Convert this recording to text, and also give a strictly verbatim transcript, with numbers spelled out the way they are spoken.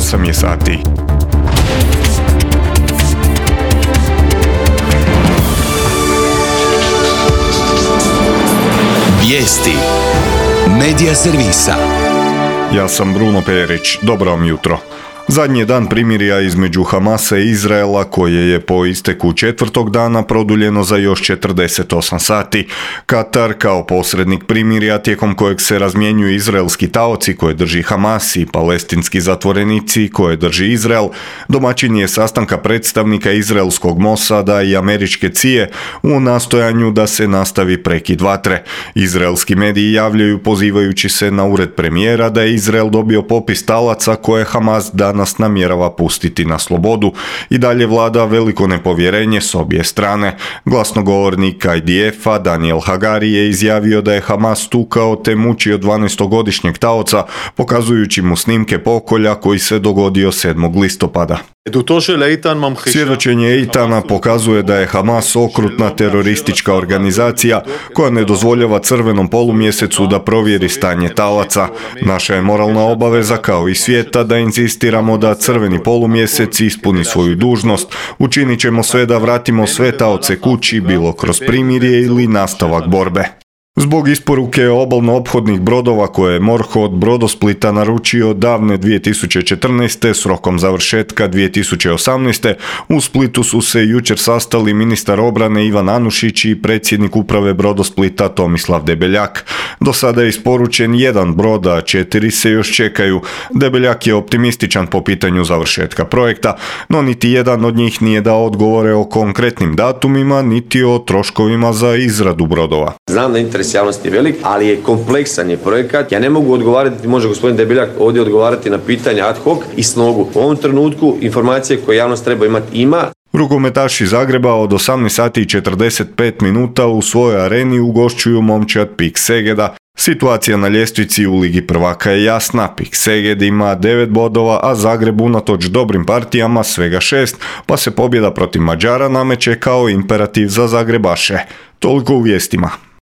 osam je sati. Vijesti Medija servisa. Ja sam Bruno Perić. Dobro vam jutro. Zadnji je dan primirja između Hamasa i Izraela koje je po isteku četvrtog dana produljeno za još četrdeset osam sati. Katar kao posrednik primirja tijekom kojeg se razmjenjuju izraelski taoci koje drži Hamas i palestinski zatvorenici koje drži Izrael, domaćin je sastanka predstavnika izraelskog Mosada i američke C I A u nastojanju da se nastavi prekid vatre. Izraelski mediji javljaju pozivajući se na ured premijera da je Izrael dobio popis talaca koje Hamas danas nas namjerava pustiti na slobodu. I dalje vlada veliko nepovjerenje s obje strane. Glasnogovornik I D F-a Daniel Hagari je izjavio da je Hamas tukao te mučio dvanaestogodišnjeg taoca, pokazujući mu snimke pokolja koji se dogodio sedmog listopada. Svjedočenje Eitana pokazuje da je Hamas okrutna teroristička organizacija koja ne dozvoljava crvenom polumjesecu da provjeri stanje talaca. Naša je moralna obaveza kao i svijeta da inzistiramo da crveni polumjesec ispuni svoju dužnost. Učinit ćemo sve da vratimo sve taoce kući, bilo kroz primirje ili nastavak borbe. Zbog isporuke obalno-ophodnih brodova koje je MORH od Brodosplita naručio davne dvije tisuće četrnaeste s rokom završetka dvije tisuće osamnaeste. u Splitu su se jučer sastali ministar obrane Ivan Anušić i predsjednik uprave Brodosplita Tomislav Debeljak. Do sada je isporučen jedan brod, a četiri se još čekaju. Debeljak je optimističan po pitanju završetka projekta, no niti jedan od njih nije dao odgovore o konkretnim datumima niti o troškovima za izradu brodova. Znam da interes javnosti je velik, ali je kompleksan je projekat. Ja ne mogu odgovarati, može gospodin Debeljak ovdje odgovarati na pitanja ad hoc i s nogu. U ovom trenutku informacije koje javnost treba imati ima. Rukometaši Zagreba od osamnaest sati i četrdeset pet minuta u svojoj areni ugošćuju momčad PIK Segeda. Situacija na ljestvici u Ligi prvaka je jasna. PIK Seged ima devet bodova, a Zagreb unatoč dobrim partijama svega šest, pa se pobjeda protiv Mađara nameće kao imperativ za Zagrebaše. Toliko u vijestima.